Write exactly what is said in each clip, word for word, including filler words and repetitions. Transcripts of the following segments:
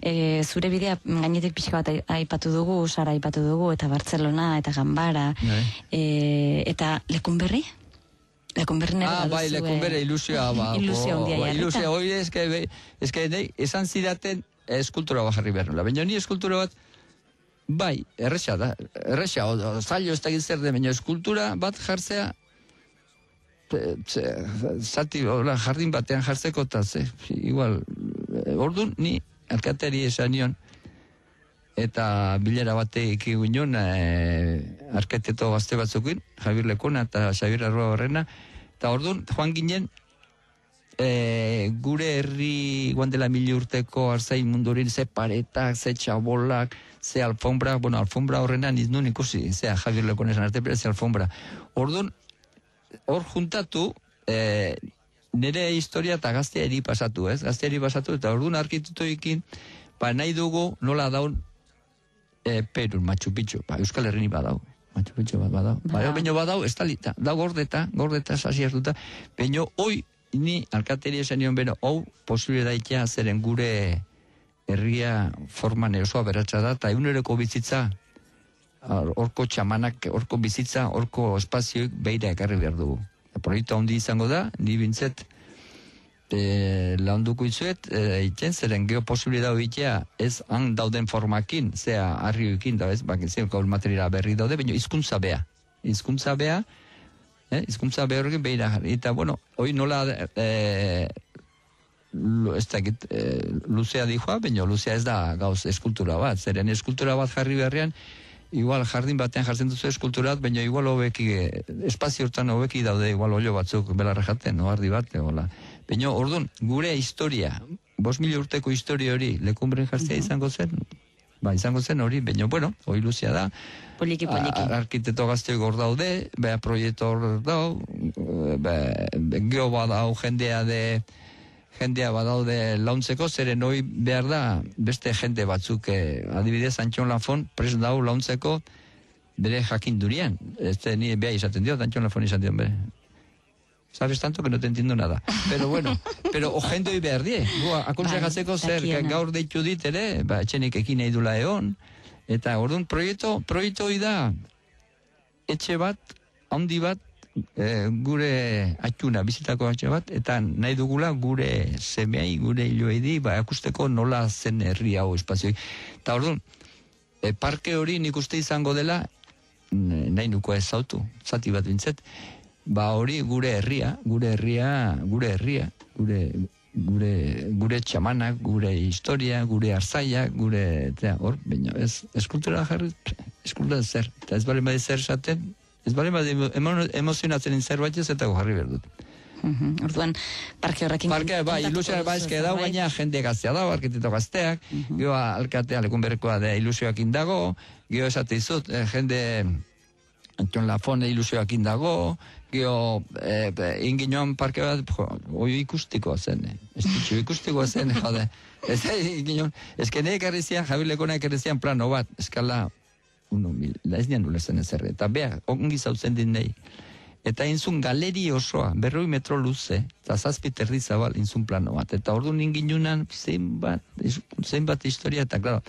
E, zure bidea gainetik pixka bat aipatu dugu, Sara aipatu dugu, eta Bartzelona, eta Ganbara, e, eta Lekunberri? Lekunberri nere ah, bai, Lekunberri ilusioa, ba. Ilusio handia jarrita. Ilusio, hori eske, eske, esan zidaten eskultura bat jarri behar nula. Baina ni eskultura bat, bai, erresa da, erresa, zailo ez da gizzer de, baina eskultura bat jartzea, zati, jardin batean jartzeko, eta ze, igual, orduan, ni alkateri esan nion, eta bilera bateik egun e, arketeto gazte batzukin, Javier Lekona eta Xabier Arroa Horrena, eta orduan, joan ginen, e, gure herri guan dela mili urteko arzain mundurin, ze paretak, ze txabolak, ze alfombra, bueno, alfombra horrena niznun ikusi, zea Javier Lekona esan arte, pero ze alfombra. Orduan, hor juntatu, e, nire historia eta gazteari pasatu, ez? Gazteari pasatu, eta orduan arkitutu ikin, ba nahi dugu nola daun e, Perun, Machu Picchu, ba, Euskal Herrini badau, Machu Picchu bat badau, ba, ba baino badau, ez talita, da gordeta, gordeta, sasi hartuta, baino, hoi, ni alkateri esan nion beno, hau, posible daitea zeren gure herria forman erosoa beratxa da, eta eguneroko bizitza, horko txamanak, horko bizitza, horko espazioik beira ekarri behar dugu. Proiektu handi izango da, ni bintzet e, launduko izuet, e, itzen zeren geoposibilidad hoitea ez han dauden formakin, zea harrioekin da, ez, bak, zeo gaur materiala berri daude, baina hizkuntza bea. Hizkuntza bea, eh, hizkuntza bea horrekin beira jarri. Eta, bueno, hoi nola e, ez da, e, luzea dijoa, baina luzea ez da gauz eskultura bat, zeren eskultura bat jarri beharrean, igual jardin batean jartzen duzu eskulturat, baina igual hobeki, espazio hortan hobeki daude, igual olio batzuk belarra jaten, no, ardi bat, hola. Baina, orduan, gure historia, bost mila urteko historia hori, Lekunberrin jartzea uh-huh. izango zen, ba, izango zen hori, baina, bueno, hori luzia da, poliki, poliki. Arkiteto gazteok hor daude, beha proiektu hor dau, be, geho badau jendea de, jendea badaude launtzeko, zeren hoi behar da beste jende batzuk, eh, adibidez Antxon Lafon prest dau launtzeko bere jakindurian. Este ni beha izaten dio, Antxon Lafon izaten dio, bere. Sabes tanto que no te entiendo nada. Pero bueno, pero o jende hoi behar die. Akonsejatzeko zer, gaur deitu dit ere, ba, etxenik ekin nahi dula egon, eta orduan proiektu, proiektu hoi da, etxe bat, handi bat, E, gure atxuna, bizitako atxe bat, eta nahi dugula gure semeai, gure hiloedi, ba, akusteko nola zen herri hau espazioi. Eta orduan, e, parke hori nik uste izango dela, nahi nuko ez zautu, zati bat bintzet, ba hori gure herria, gure herria, gure herria, gure, gure, gure txamanak, gure historia, gure arzaia, gure, eta hor, baina ez, eskultura jarri, eskultura zer, eta ez bale bade zer esaten, ez bale, emozionatzen zerbait ez eta jarri behar dut. Uh-huh. Orduan, parke horrekin... Parke, bai, ilusioa baizke dau, baina jende gaztea dago, arkiteto gazteak, uh-huh. Gio alkatea Lekunberrikoa da ilusioak indago, gio esate izut, eh, jende Antxon Lafon ilusioak indago, gio eh, inginoan parke bat, jo, oi ikustikoa zen, eh. Ez ditxu ikustikoa zen, jode. Ez inginoan, ezkene ekarrizian, Javier Lekona ekarrizian plano bat, eskala... uno mil, ez nian ulerzen ezerre, eta beha, ongi zautzen din nahi. Eta inzun galeri osoa, berroi metro luze, eta zazpi terri zabal inzun plano bat. Eta ordu ninginunan zeinbat, zeinbat historia, eta klaro,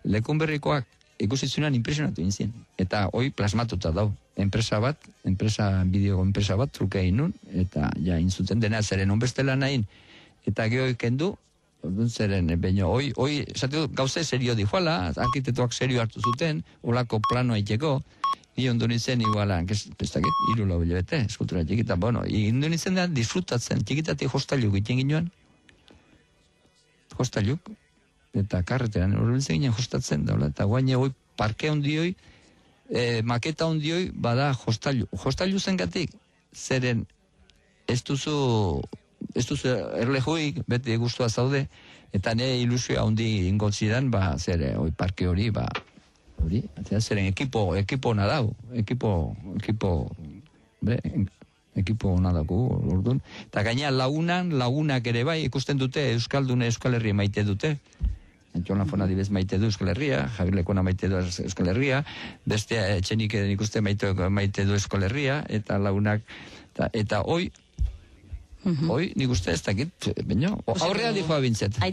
Lekunberrikoak ikusitzunan impresionatu inzien. Eta hoi plasmatuta dau. Enpresa bat, enpresa, bideo enpresa bat, truke inun, eta ja inzuten dena zeren onbestela nahin, eta geho ikendu, orduan zeren, baina, hoi, hoi, esatu, gauze serio dihuala, arkitetuak serio hartu zuten, olako planoa itxeko, ni ondo nintzen iguala, pestakit, iru lau bilebete, eskultura txikita, bueno, ondo nintzen da, disfrutatzen, txikitatik hostaluk iten ginoan, hostaluk, eta karreteran, horren zen ginen hostatzen da, eta guaine hoi, parke ondioi, eh, maketa ondioi, bada hostalu, hostalu zen gatik, zeren, ez duzu, ez duzu erlejuik, beti guztua zaude, eta ne ilusioa handi ingotzidan, ba, zer, oi, parke hori, ba, hori, zeren ekipo, ekipo nadau, ekipo, ekipo, be, ekipo nadaku, orduan, eta gaina lagunan, lagunak ere bai, ikusten dute, Euskaldune Euskal Herria maite dute, Antxon Lafon adibez maite du Euskal Herria, Javier Lekona maite du Euskal Herria, beste etxenik ikuste maite, maite du Euskal Herria, eta lagunak, eta, eta hoi, Uh-huh. Hoi, nik uste ez dakit, baina, aurrea dihoa bintzet.